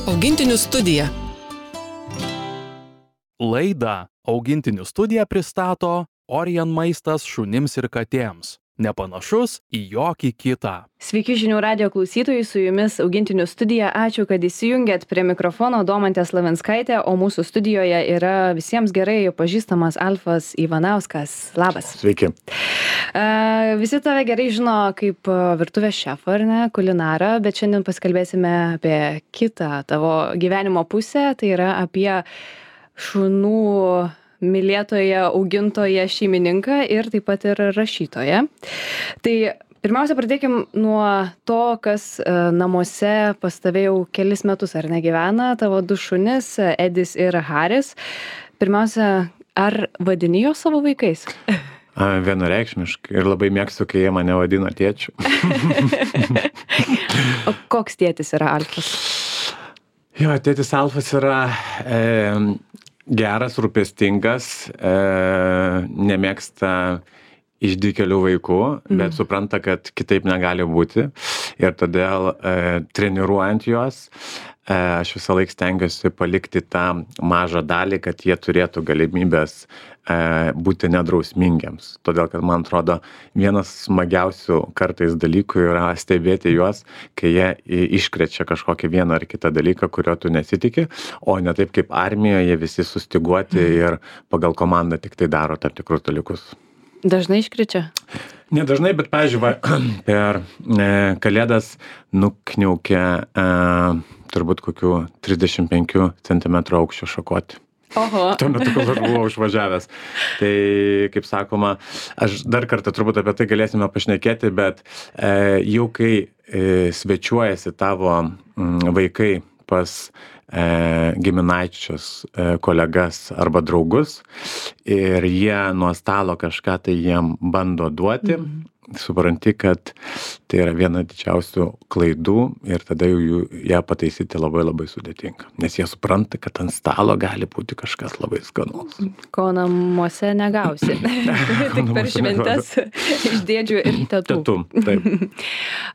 Augintinių studija. Laidą Augintinių studija pristato Orion maistas šunims ir katėms. Nepanašus į jokį kitą. Sveiki žinių radijo klausytojai, su jumis Augintinių studija. Ačiū, kad įsijungėt prie mikrofono Domantė Slavinskaitė, o mūsų studijoje yra visiems gerai pažįstamas Alfas Ivanauskas. Labas. Sveiki. Visi tave gerai žino kaip virtuvės šefą, ar ne, kulinarą, bet šiandien pasikalbėsime apie kitą tavo gyvenimo pusę, tai yra apie šunų mylėtoją, augintoją, šeimininką ir taip pat ir rašytoją. Tai pirmiausia, pradėkim nuo to, kas namuose pas tave jau kelis metus ar negyvena, tavo du šunis, Edis ir Haris. Pirmiausia, ar vadini juos savo vaikais? Vienareikšmiškai ir labai mėgstu, kai jie mane vadina tėčiu. O koks tėtis yra Alfas? Jo, tėtis Alfas yra geras, rūpestingas, nemėgsta išdykėlių vaikų, bet supranta, kad kitaip negali būti. Ir todėl treniruojant juos, aš visą laiką stengiuosi palikti tą mažą dalį, kad jie turėtų galimybės būti nedrausmingiams. Todėl, kad man atrodo, vienas smagiausių kartais dalykų yra stebėti juos, kai jie iškrečia kažkokį vieną ar kitą dalyką, kurio tu nesitiki, o ne taip kaip armijoje visi sustiguoti ir pagal komandą tik tai daro tam tikrus dalykus. Dažnai iškrečia? Nedažnai, bet, pavyzdžiui, per Kalėdas nukniaukė turbūt kokių 35 cm aukščio šakotį. Oho. Tuo metu, kol aš buvau išvažiavęs. Tai, kaip sakoma, aš dar kartą turbūt apie tai galėsime pašnekėti, bet jau kai svečiuojasi tavo vaikai pas giminaičius, kolegas arba draugus ir jie nuo stalo kažką tai jiem bando duoti, supranti, kad tai yra viena didžiausių klaidų ir tada jau ją pataisyti labai labai sudėtinga. Nes jie supranta, kad ant stalo gali būti kažkas labai skanaus. Ko namuose negausi. Tik per šventes iš dėdžių ir tetų. Tetų, taip.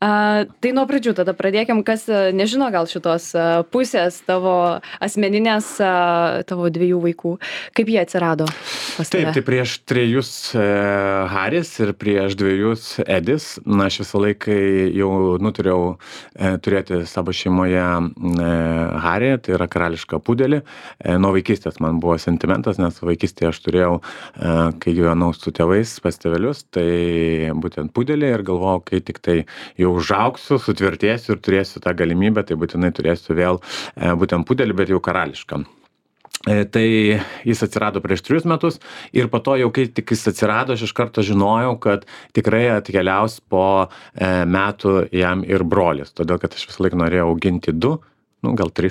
Tai nuo pradžių tada pradėkim, kas nežino gal šitos pusės tavo asmeninės, tavo dviejų vaikų. Kaip jie atsirado pas tave? Taip, tai prieš 3 Haris ir prieš 2 Edis. Na, aš visą laiką jau nuturėjau turėti savo šeimoje Harį, tai yra karališką pudelį. Nuo vaikystės man buvo sentimentas, nes vaikystėje aš turėjau, kai gyvenau su tėvais pas tėvelius, tai būtent pudelį ir galvojau, kai tik tai jau užaugsiu, sutvirtėsiu ir turėsiu tą galimybę, tai būtinai turėsiu vėl būtent pudelį, bet jau karališką. Tai jis atsirado prieš 3 metus ir po to jau kai tik jis atsirado, aš iš karto žinojau, kad tikrai atkeliaus po metų jam ir brolis, todėl kad aš visą laiką norėjau auginti 2, gal 3,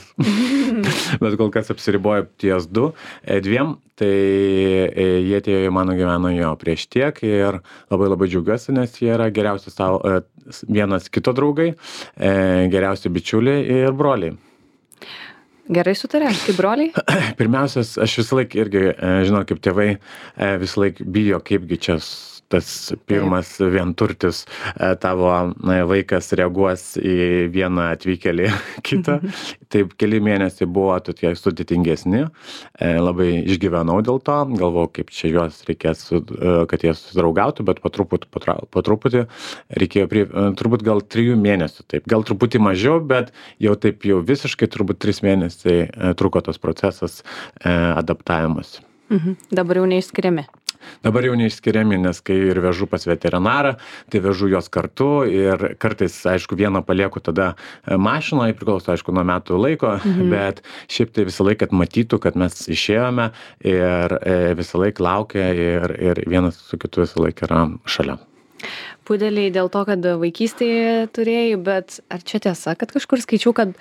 bet kol kas apsiribojo ties 2, tai jie atėjo į mano gyvenimą prieš tiek ir labai labai džiaugiuosi, nes jie yra geriausi savo, vienas kito draugai, geriausi bičiuliai ir broliai. Gerai sutarė, kaip broliai? Pirmiausias, aš visą laiką irgi, žinau, kaip tėvai visą laiką bijo, kaipgi čia tas pirmas vienturtis tavo vaikas reaguos į vieną atvykėlį kitą. Taip, keli mėnesiai buvo tokie sudėtingesni, labai išgyvenau dėl to, galvojau, kaip čia juos reikės, kad jie susidraugautų, bet po truputį reikėjo, turbūt gal 3 mėnesių, taip, gal truputį mažiau, bet jau taip jau visiškai turbūt 3 mėnesiai truko tas procesas adaptavimas. Dabar jau neišskiriami. Dabar jau neišskiriami, nes kai ir vežu pas veterinarą, tai vežu juos kartu ir kartais, aišku, vieną palieku tada mašinoje, priklauso, aišku, nuo metų laiko, bet šiaip tai visą laiką matytų, kad mes išėjome ir visą laiką laukia ir vienas su kitu visą laiką yra šalia. Pudeliai dėl to, kad vaikystėje turėjai, bet ar čia tiesa, kad kažkur skaičiau, kad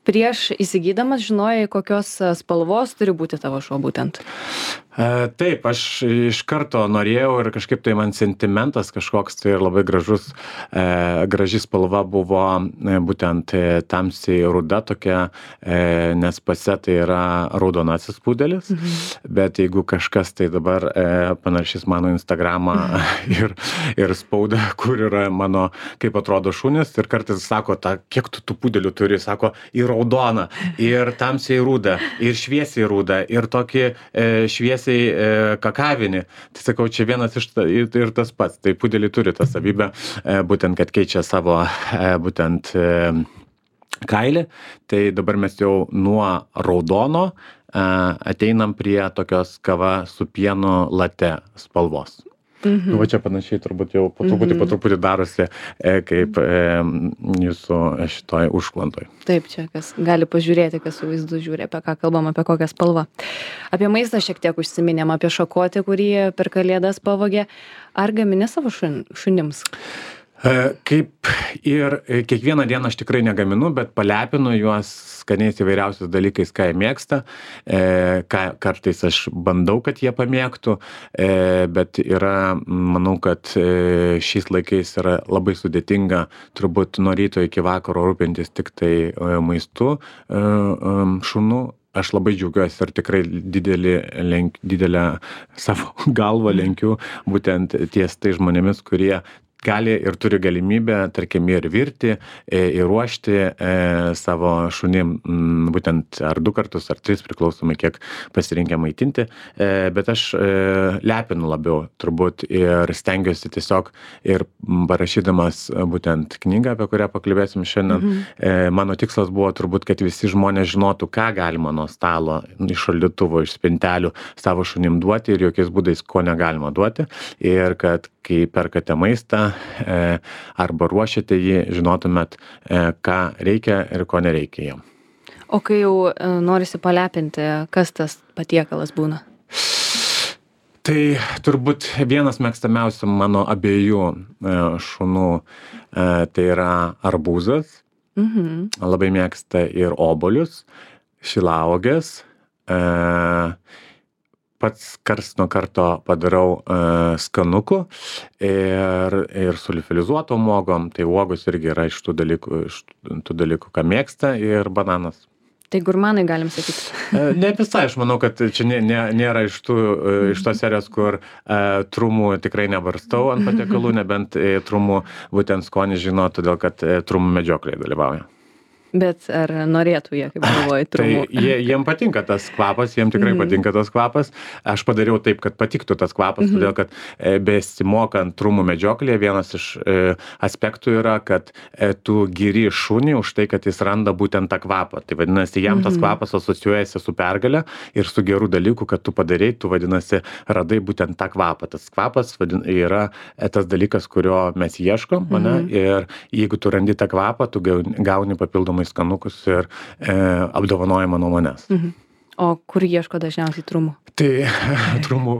prieš įsigydamas žinojai, kokios spalvos turi būti tavo šuo būtent? Taip, aš iš karto norėjau ir kažkaip tai man sentimentas kažkoks tai ir labai graži spalva buvo būtent tamsiai ruda tokia, nes pase tai yra raudonasis pudelis, bet jeigu kažkas tai dabar panašys mano Instagramą ir spaudą, kur yra mano, kaip atrodo šunys, ir kartais sako, kiek tu tų pudelių turi, sako, ir raudoną, ir tamsiai rudą, ir šviesiai rudą, ir tokį šviesiai kakavinį. Tai sakau, čia vienas iš ir tas pats. Tai pudeliai turi tą savybę, būtent, kad keičia savo būtent kailį. Tai dabar mes jau nuo raudono ateinam prie tokios kava su pienu latte spalvos. Va čia panašiai turbūt jau po truputį darosi kaip jūsų šitoj užklantoj. Taip, čia kas gali pažiūrėti, kas su vaizdu žiūri, apie ką kalbam, apie kokią spalvą. Apie maistą šiek tiek užsiminėm, apie šakotį, kurį per Kalėdas pavogė. Ar gamini savo šunims? Kaip ir kiekvieną dieną aš tikrai negaminu, bet palepinu juos skaniais įvairiausiais dalykais, ką jie mėgsta. Kartais aš bandau, kad jie pamėgtų, bet manau, kad šiais laikais yra labai sudėtinga turbūt nuo ryto iki vakaro rūpintis tik tai maistu šunų. Aš labai džiaugiuosi ir tikrai didelę savo galvą lenkiu būtent ties tai žmonėmis, kurie gali ir turi galimybę, tarkim, ir virti, ir ruošti savo šunim, būtent ar 2 kartus, ar 3, priklausomai kiek pasirinkę maitinti, bet aš lepinu labiau turbūt ir stengiuosi tiesiog ir parašydamas būtent knygą, apie kurią pakalbėsim šiandien, mano tikslas buvo turbūt, kad visi žmonės žinotų, ką galima nuo stalo, iš šaldytuvo, iš spintelių savo šunim duoti ir jokiais būdais, ko negalima duoti, ir kad kai perkate maistą arba ruošiate jį, žinotumėt, ką reikia ir ko nereikia jam. O kai jau norisi palepinti, kas tas patiekalas būna? Tai turbūt vienas mėgstamiausių mano abiejų šunų, tai yra arbūzas. Labai mėgsta ir obuolius, šilauogės. Pats karts nuo karto padarau skanukų ir su liofilizuotom uogom, tai uogos irgi yra iš tų dalykų, ką mėgsta, ir bananas. Tai gurmanai galim sakyti. Ne visai, aš manau, kad čia nėra iš tos serijos, kur trumų tikrai nebarstau ant patiekalų, nebent trumų būtent skonį žino, todėl kad trumų medžioklėje dalyvauja. Bet ar norėtų jie, kaip galvoji, trumų? Tai jiem patinka tas kvapas, jiem tikrai patinka tas kvapas. Aš padariau taip, kad patiktų tas kvapas, todėl kad besimokant trumų medžioklėje, vienas iš aspektų yra, kad tu giri šunį už tai, kad jis randa būtent tą kvapą. Tai vadinasi, jam tas kvapas asocijuojasi su pergale ir su gerų dalykų, kad tu padarei, tu vadinasi, radai būtent tą kvapą. Tas kvapas yra tas dalykas, kurio mes ieškom, ir jeigu tu randi tą kvapą, tu gauni papildomai skanukus ir apdovanojimą nuo manęs. O kur ieško dažniausiai trumų? Tai trumų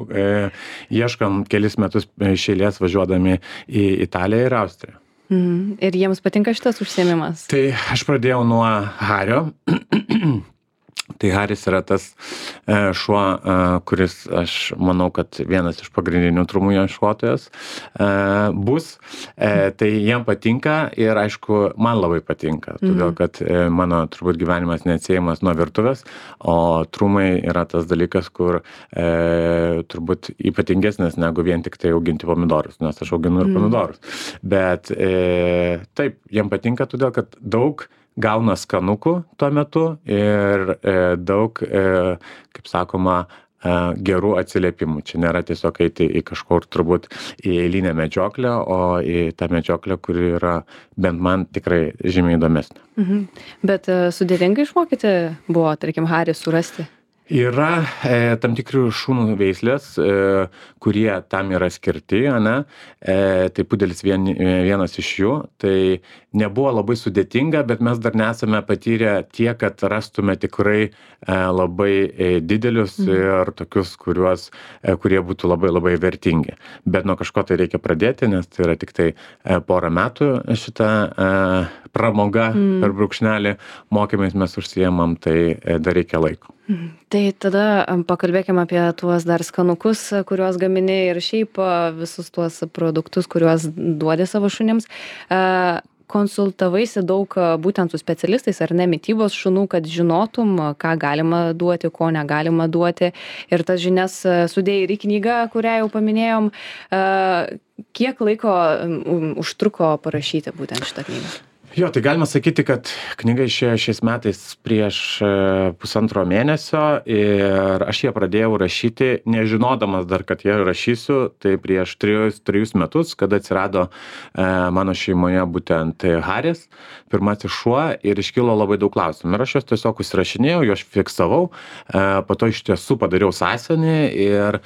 ieškam kelis metus iš eilės važiuodami į Italiją ir Austriją. Ir jiems patinka šitas užsiėmimas? Tai aš pradėjau nuo Hario. Tai Haris yra tas šuo, kuris, aš manau, kad vienas iš pagrindinių trumų ieškotojas bus. Tai jiem patinka ir, aišku, man labai patinka, todėl kad mano turbūt gyvenimas neatsiejamas nuo virtuvės, o trumai yra tas dalykas, kur turbūt ypatingesnis negu vien tik tai auginti pomidorus, nes aš auginu ir pomidorus. Bet taip, jiem patinka, todėl kad daug gauna skanukų tuo metu ir daug, kaip sakoma, gerų atsiliepimų. Čia nėra tiesiog eiti į kažkur turbūt į eilinę medžioklę, o į tą medžioklę, kuri yra bent man tikrai žymiai įdomesnė. Bet sudėtinga išmokyti buvo, tarkim, Harį surasti? Yra tam tikri šunų veislės, kurie tam yra skirti, tai pudelis vienas iš jų. Tai nebuvo labai sudėtinga, bet mes dar nesame patyrę tiek, kad rastume tikrai labai didelius ir tokius, kurie būtų labai labai vertingi. Bet nuo kažko tai reikia pradėti, nes tai yra tik tai porą metų šitą pramoga per brūkšnelį mokymais mes užsiėmam, tai dar reikia laiko. Tai tada pakalbėkime apie tuos dar skanukus, kuriuos gamini ir šiaip visus tuos produktus, kuriuos duodi savo šunims. Konsultavaisi daug būtent su specialistais ar ne mitybos šunų, kad žinotum, ką galima duoti, ko negalima duoti. Ir tas žinias sudėjai ir į knygą, kurią jau paminėjom. Kiek laiko užtruko parašyti būtent šitą knygą? Jo, tai galima sakyti, kad knyga išėjo šiais metais prieš pusantro mėnesio ir aš ją pradėjau rašyti, nežinodamas dar, kad ją rašysiu, tai prieš 3 metus, kada atsirado mano šeimoje būtent Haris, pirmasis šuo, ir iškilo labai daug klausimų. Ir aš juos tiesiog užsirašinėjau, juos fiksavau, po to iš tiesų padariau sąsiuvinį ir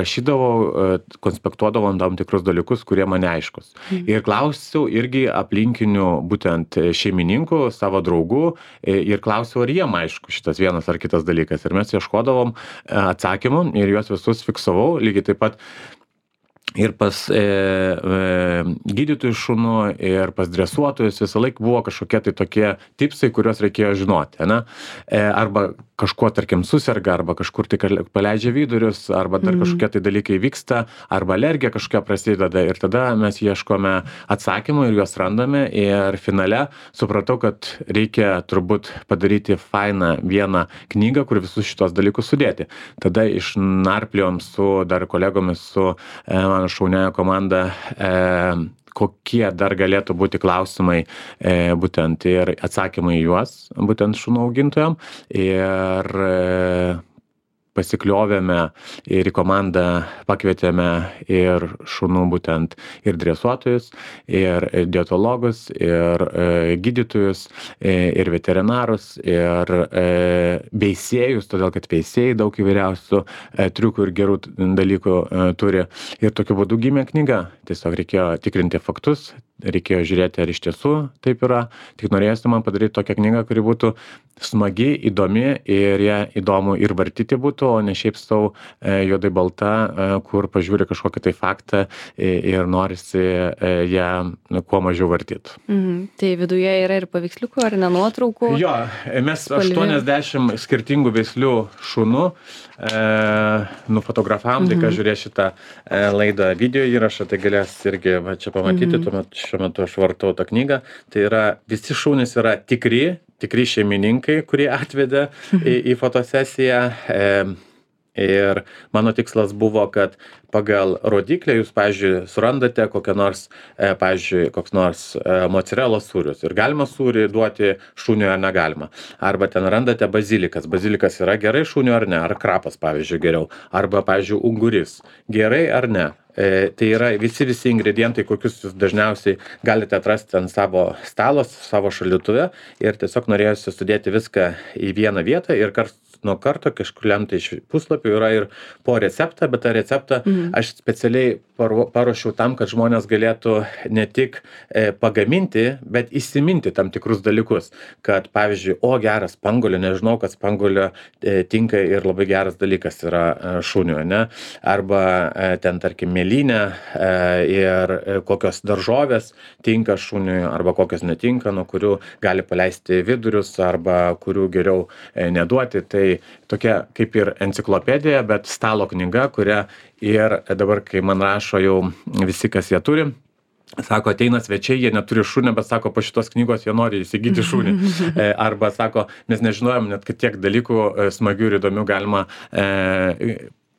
rašydavau, konspektuodavau tam tikrus dalykus, kurie man neaiškus. Ir klausiau irgi aplinkinių būtent šeimininkų, savo draugų ir klausiau, ar jiem aišku šitas vienas ar kitas dalykas. Ir mes ieškodavom atsakymų ir juos visus fiksavau, lygiai taip pat ir pas gydytojų šunų, ir pas dresuotojus visą laiką buvo kažkokie tai tokie tipsai, kuriuos reikėjo žinoti, ne? Arba kažkuo, tarkim, suserga, arba kažkur tai paleidžia vidurius, arba dar kažkokie tai dalykai vyksta, arba alergija kažkokia prasideda, ir tada mes ieškome atsakymų ir juos randame, ir finale supratau, kad reikia turbūt padaryti fainą vieną knygą, kur visus šitos dalykus sudėti. Tada išnarpliojom su dar kolegomis, su mano šauniąja komanda, kokie dar galėtų būti klausimai būtent ir atsakymai į juos, būtent šunų augintojam. Ir pasikliovėme ir į komandą pakvietėme ir šunų būtent ir dresuotojus, ir dietologus, ir gydytojus, ir veterinarus, ir veisėjus, todėl kad veisėjai daug įvairiausių triukų ir gerų dalykų turi. Ir tokiu būdu gimė knyga. Tiesiog reikėjo tikrinti faktus, reikėjo žiūrėti, ar iš tiesų taip yra. Tik norėjosi man padaryti tokią knygą, kuri būtų smagi, įdomi ir ją įdomu ir vartyti būtų, o ne šiaip sau juodai balta, kur pažiūri kažkokį tai faktą ir norisi ją kuo mažiau vartyti. Tai viduje yra ir paveiksliukų, ar ne nuotraukų? Jo, mes 80 skirtingų veislių šunų nufotografavom, tai kas žiūrės šitą laidą video įrašą, tai galės irgi va, čia pamatyti, šiuo metu aš vartau tą knygą. Tai yra, visi šunys yra tikri šeimininkai, kurie atvedė į fotosesiją. Ir mano tikslas buvo, kad pagal rodiklę jūs, pavyzdžiui, surandate kokią nors, pavyzdžiui, koks nors mocarelos sūrius. Ir galima sūrį duoti šuniui ar negalima. Arba ten randate bazilikas. Bazilikas yra gerai šuniui ar ne. Ar krapas, pavyzdžiui, geriau. Arba, pavyzdžiui, unguris. Gerai ar ne. Tai yra visi ingredientai, kokius jūs dažniausiai galite atrasti ant savo stalo, savo šaldytuve. Ir tiesiog norėjusi sudėti viską į vieną vietą ir nuo karto kažkuriam tai iš puslapių yra ir po receptą, bet tą receptą aš specialiai paruošiau tam, kad žmonės galėtų ne tik pagaminti, bet įsiminti tam tikrus dalykus. Kad, pavyzdžiui, geras spanguolė, nežinau, kad spanguolė tinka ir labai geras dalykas yra šuniui, ne? Arba ten, tarkim, mėlynė ir kokios daržovės tinka šuniui, arba kokios netinka, nuo kurių gali paleisti vidurius, arba kurių geriau neduoti. Tai tokia kaip ir enciklopedija, bet stalo knyga, kurią ir dabar, kai man rašo jau visi, kas ją turi, sako, ateina svečiai, jie neturi šunio, bet sako, po šitos knygos jie nori įsigyti šunį. Arba sako, mes nežinojom net, kad tiek dalykų smagių ir įdomių galima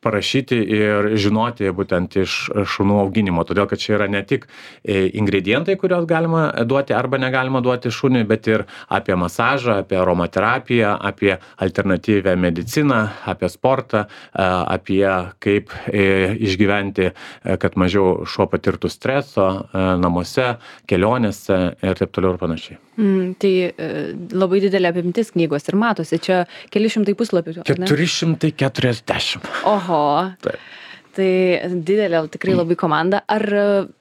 parašyti ir žinoti būtent iš šunų auginimo. Todėl, kad čia yra ne tik ingredientai, kuriuos galima duoti arba negalima duoti šuniui, bet ir apie masažą, apie aromaterapiją, apie alternatyvę mediciną, apie sportą, apie kaip išgyventi, kad mažiau šuo patirtų streso namuose, kelionėse ir taip toliau ir panašiai. Tai labai didelė apimtis knygos ir matosi, čia keli šimtai puslapių. 440. Oho. Taip. Tai didelė tikrai labai komanda. Ar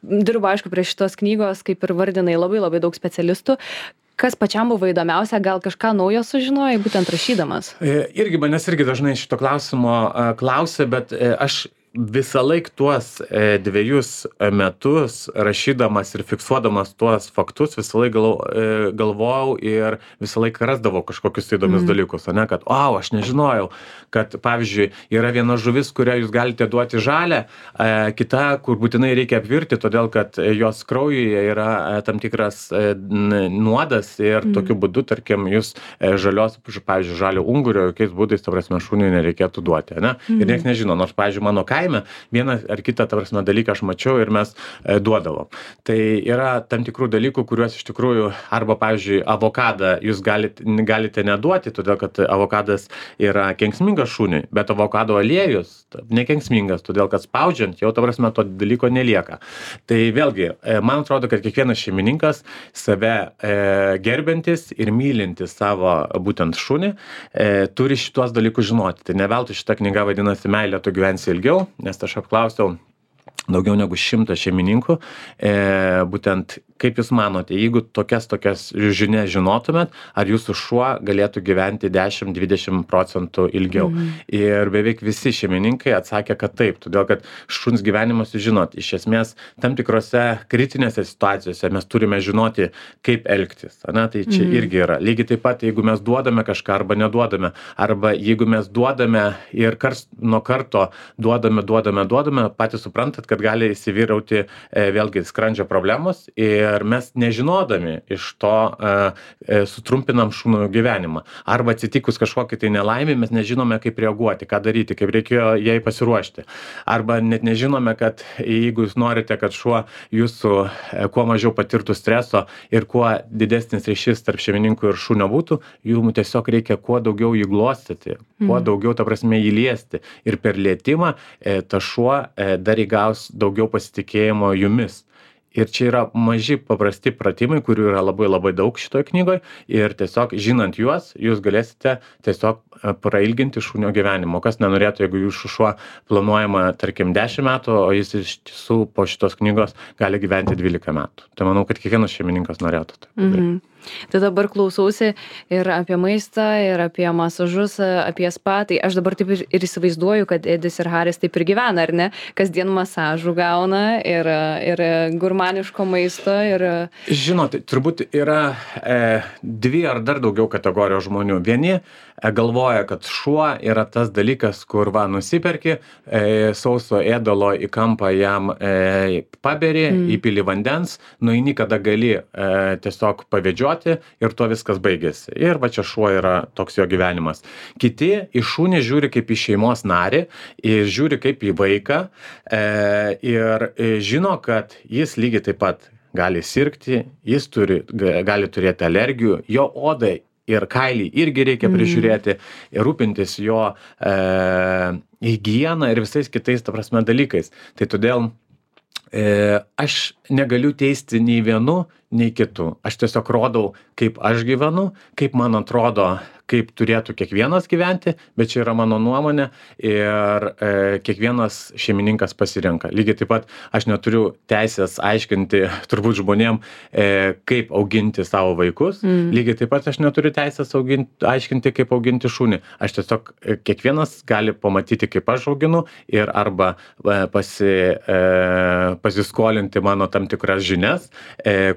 dirbo, aišku, prie šitos knygos, kaip ir vardinai, labai daug specialistų. Kas pačiam buvo įdomiausia, gal kažką naujo sužinojai, būtent rašydamas? Manęs irgi dažnai šito klausimo klausia, bet aš visąlaik tuos 2 metus rašydamas ir fiksuodamas tuos faktus, visąlaik galvojau ir visąlaik rasdavau kažkokius įdomius dalykus, ane, kad, aš nežinojau, kad, pavyzdžiui, yra viena žuvis, kurią jūs galite duoti žalę, kita, kur būtinai reikia apvirti, todėl, kad jos kraujuje yra tam tikras nuodas ir tokiu būdu, tarkim, jūs žalios, pavyzdžiui, žalio ungurio, jokiais būdais, ta prasme, šuniui nereikėtų duoti, ne? Ir nieks nežino, nors, pavyzdžiui, mano kaime vieną ar kitą, ta prasme, dalyką aš mačiau ir mes duodavom. Tai yra tam tikrų dalykų, kuriuos iš tikrųjų, arba, pavyzdžiui, avokadą jūs galite neduoti, todėl, kad avokadas yra kenksmingas šuniui, bet avokado aliejus nekenksmingas, todėl, kad spaudžiant jau, ta prasme, to dalyko nelieka. Tai vėlgi, man atrodo, kad kiekvienas šeimininkas save gerbiantis ir mylintis savo būtent šunį turi šitos dalykus žinoti. Tai ne veltui šita knyga vadinasi Meilė, tu gyvensi ilgiau, nes aš apklausiau daugiau negu 100 šeimininkų, būtent kaip jūs manote, jeigu tokias žinias žinotumėt, ar jūsų šuo galėtų gyventi 10-20% ilgiau. Ir beveik visi šeimininkai atsakė, kad taip, todėl kad šuns gyvenimas, žinot, iš esmės tam tikrose kritinėse situacijose mes turime žinoti, kaip elgtis. Ne? Tai čia irgi yra. Lygiai taip pat, jeigu mes duodame kažką arba neduodame, arba jeigu mes duodame ir karts nuo karto duodame, patys suprantat, kad gali įsivyrauti vėlgi skrandžio problemos ir mes nežinodami iš to sutrumpinam šunų gyvenimą. Arba atsitikus kažkokiai tai nelaimė, mes nežinome, kaip reaguoti, ką daryti, kaip reikėjo jai pasiruošti. Arba net nežinome, kad jeigu jūs norite, kad šuo jūsų kuo mažiau patirtų streso ir kuo didesnis ryšys tarp šeimininkų ir šunio būtų, jums tiesiog reikia kuo daugiau jį glostyti, kuo daugiau, ta prasme, jį liesti. Ir per lietimą ta šuo dar įgaus daugiau pasitikėjimo jumis. Ir čia yra maži paprasti pratimai, kurių yra labai labai daug šitoje knygoje. Ir tiesiog žinant juos, jūs galėsite tiesiog prailginti šunio gyvenimo. Kas nenorėtų, jeigu jūsų šuo planuojama, tarkim, 10 metų, o jis iš tiesų po šitos knygos gali gyventi 12 metų. Tai manau, kad kiekvienas šeimininkas norėtų. Tai dabar klausausi ir apie maistą, ir apie masažus, apie spa. Tai aš dabar taip ir įsivaizduoju, kad Edis ir Haris taip ir gyvena, ar ne? Kasdien masažų gauna ir gurmaniško maisto. Žinot, turbūt yra 2 ar dar daugiau kategorijos žmonių. Vieni galvoja, kad šuo yra tas dalykas, kur nusiperki sauso ėdalo į kampą jam paberi, įpili vandens, nueini, kada gali tiesiog pavedžioti ir tuo viskas baigėsi. Ir va čia šuo yra toks jo gyvenimas. Kiti į šunį žiūri kaip į šeimos narį ir žiūri kaip į vaiką ir žino, kad jis lygiai taip pat gali sirgti, jis gali turėti alergijų, jo odai ir kailį irgi reikia prižiūrėti ir rūpintis jo higieną ir visais kitais, ta prasme, dalykais. Tai todėl aš negaliu teisti nei vienu, nei kitu. Aš tiesiog rodau, kaip aš gyvenu, kaip man atrodo, kaip turėtų kiekvienas gyventi, bet čia yra mano nuomonė ir kiekvienas šeimininkas pasirenka. Lygiai taip pat aš neturiu teisės aiškinti turbūt žmonėm, kaip auginti savo vaikus. Lygiai taip pat aš neturiu teisės aiškinti, kaip auginti šunį. Aš tiesiog kiekvienas gali pamatyti, kaip aš auginu ir arba pasiskolinti mano tam tikras žinias,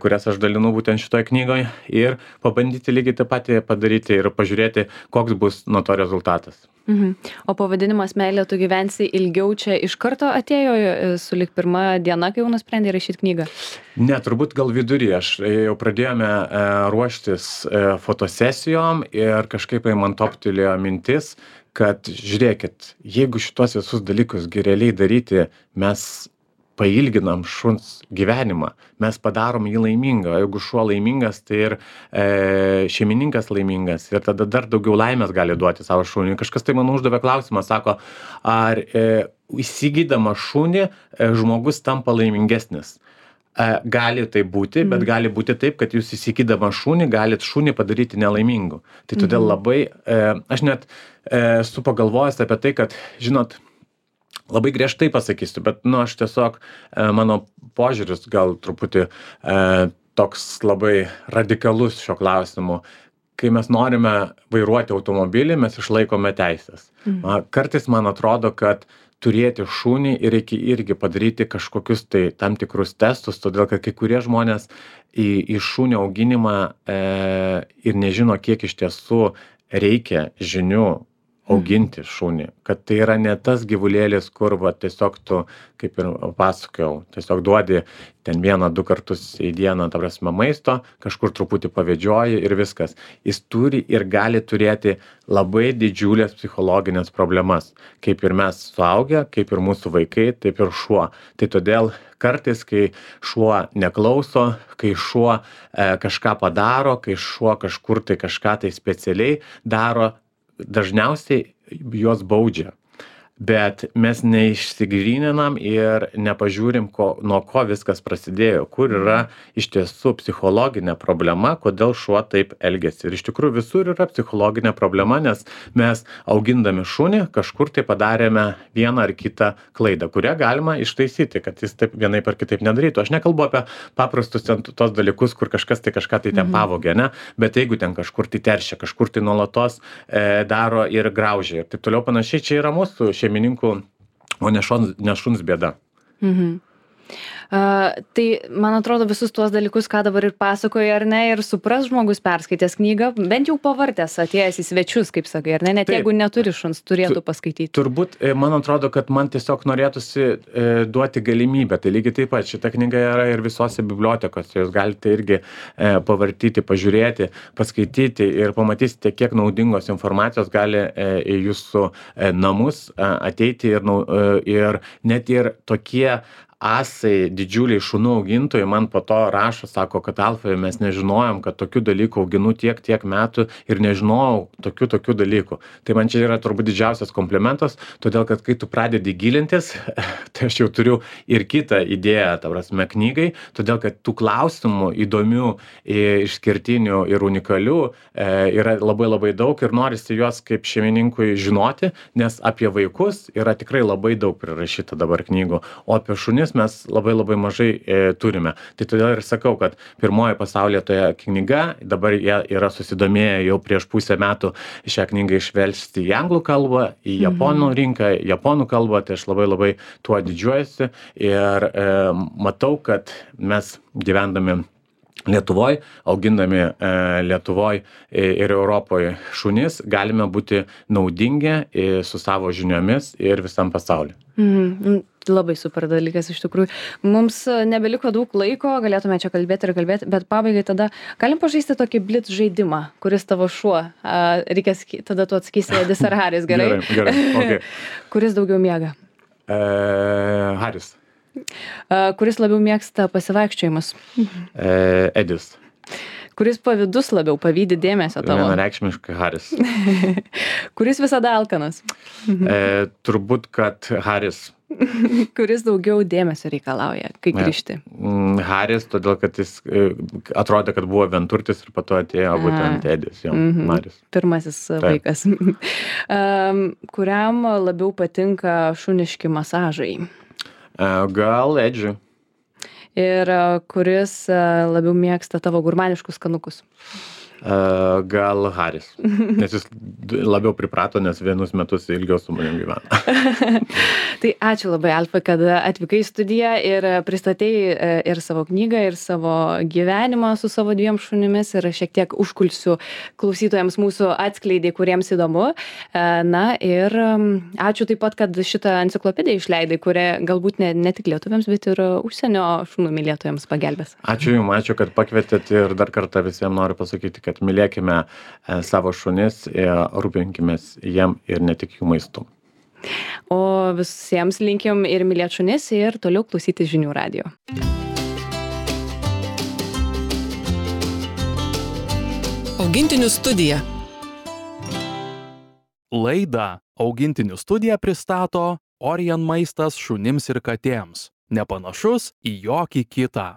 kurias aš dalinu būtent šitoje knygoje ir pabandyti lygiai taip pat padaryti ir pažiūrėti, koks bus nuo to rezultatas. O pavadinimas Meilė, tu gyvensi ilgiau čia iš karto atėjo sulig pirma diena, kai jau nusprendė rašyti knygą? Ne, turbūt gal vidury. Aš jau pradėjome ruoštis fotosesijom ir kažkaip man toptelėjo mintis, kad žiūrėkit, jeigu šitos visus dalykus realiai daryti, mes pailginam šuns gyvenimą, mes padarom jį laimingą. Jeigu šuo laimingas, tai ir šeimininkas laimingas ir tada dar daugiau laimės gali duoti savo šuniui. Kažkas tai man uždavė klausimą, sako, ar įsigydama šunį žmogus tampa laimingesnis. Gali tai būti, bet gali būti taip, kad jūs įsigydama šunį galit šunį padaryti nelaimingu. Tai todėl labai, aš net esu pagalvojęs apie tai, kad, žinot, labai griežtai pasakysiu, bet, aš tiesiog, mano požiūris gal truputį toks labai radikalus šio klausimu. Kai mes norime vairuoti automobilį, mes išlaikome teisės. Kartais man atrodo, kad turėti šunį ir reikia irgi padaryti kažkokius tai tam tikrus testus, todėl kad kai kurie žmonės į šunio auginimą ir nežino, kiek iš tiesų reikia žinių auginti šunį, kad tai yra ne tas gyvulėlis, kur va, tiesiog tu, kaip ir pasakojau, tiesiog duodi ten 1-2 kartus į dieną, ta prasme, maisto, kažkur truputį pavedžioji ir viskas. Jis turi ir gali turėti labai didžiulės psichologinės problemas, kaip ir mes suaugę, kaip ir mūsų vaikai, taip ir šuo. Tai todėl kartais, kai šuo neklauso, kai šuo kažką padaro, kai šuo kažkur tai kažką tai specialiai daro, dažniausiai juos baudžia. Bet mes neišsigryninam ir nepažiūrim, nuo ko viskas prasidėjo, kur yra iš tiesų psichologinė problema, kodėl šuo taip elgiasi. Ir iš tikrųjų visur yra psichologinė problema, nes mes augindami šunį kažkur tai padarėme vieną ar kitą klaidą, kurią galima ištaisyti, kad jis taip vienaip ar kitaip nedarytų. Aš nekalbu apie paprastus tos dalykus, kur kažkas tai kažką tai ten pavogė, ne? Bet jeigu ten kažkur tai teršia, kažkur tai nuolatos daro ir graužia ir taip toliau panašiai, čia yra mūsų šeimininkų, o ne šuns bėda. Tai, man atrodo, visus tuos dalykus, ką dabar ir pasakoja, ar ne, ir supras žmogus perskaitęs knygą, bent jau pavartęs, atėjęs į svečius, kaip sakai, ar ne, net jeigu neturi šuns, turėtų paskaityti. Turbūt, man atrodo, kad man tiesiog norėtųsi duoti galimybę. Tai lygiai taip pat, šita knyga yra ir visose bibliotekose, jūs galite irgi pavartyti, pažiūrėti, paskaityti ir pamatysite, kiek naudingos informacijos gali į jūsų namus ateiti ir net ir tokie asai, didžiuliai šunų augintojai man po to rašo, sako, kad Alfa, mes nežinojom, kad tokių dalykų auginu tiek metų ir nežinojau tokių dalykų. Tai man čia yra turbūt didžiausias komplimentas, todėl kad kai tu pradedi gilintis, tai aš jau turiu ir kitą idėją, ta prasme, knygai, todėl kad tų klausimų įdomių, išskirtinių ir unikalių yra labai daug ir norisi juos kaip šeimininkui žinoti, nes apie vaikus yra tikrai labai daug prirašyta dabar knygų, o apie šunis mes labai mažai turime. Tai todėl ir sakau, kad pirmoji pasaulyje toje knyga, dabar jie yra susidomėję jau prieš pusę metų šią knygą išversti į anglų kalbą, į japonų rinką, japonų kalbą, tai aš labai tuo didžiuojuosi ir matau, kad mes gyvendami Lietuvoj, augindami Lietuvoj ir Europoje šunis, galime būti naudingi su savo žiniomis ir visam pasauliu. Labai super dalykas iš tikrųjų. Mums nebeliko daug laiko, galėtume čia kalbėti, bet pabaigai tada galim pažaisti tokį blitz žaidimą, kuris tavo šuo. Reikės tada tu atsakysi Edis ar Haris, gerai? Gerai, okay. Kuris daugiau miega? Haris. Kuris labiau mėgsta pasivaikščiojimus? Edis. Kuris pavydus labiau, pavydi dėmesio tavo? Vienareikšmiškai Haris. Kuris visada alkanas? Turbūt, kad Haris. Kuris daugiau dėmesio reikalauja, kai grįžti? Haris, todėl kad jis atrodė, kad buvo vienturtis ir po to atėjo būtent Edis, jo, Haris. Pirmasis vaikas. Kuriam labiau patinka šuniški masažai? Gal Edžiui. Ir kuris labiau mėgsta tavo gurmaniškus skanukus? Gal Haris. Nes jis labiau priprato, nes vienus metus ilgiau su manim gyvena. Tai ačiū labai, Alfa, kad atvykai į studiją ir pristatei ir savo knygą, ir savo gyvenimą su savo 2 šunimis ir šiek tiek užkulsių klausytojams mūsų atskleidė, kuriems įdomu. Na ir ačiū taip pat, kad šitą enciklopediją išleidai, kuria galbūt ne tik lietuviams, bet ir užsienio šunų mylėtojams pagelbės. Ačiū Jums, ačiū, kad pakvietėt ir dar kartą visiems noriu pasakyti, kad mylėkime savo šunis ir rūpinkimės jiem ir ne tik jų maistu. O visiems linkim ir mylėt šunis ir toliau klausyti žinių radijo. Augintinių studija. Laidą Augintinių studija pristato Orion maistas šunims ir katėms. Nepanašus į jokį kitą.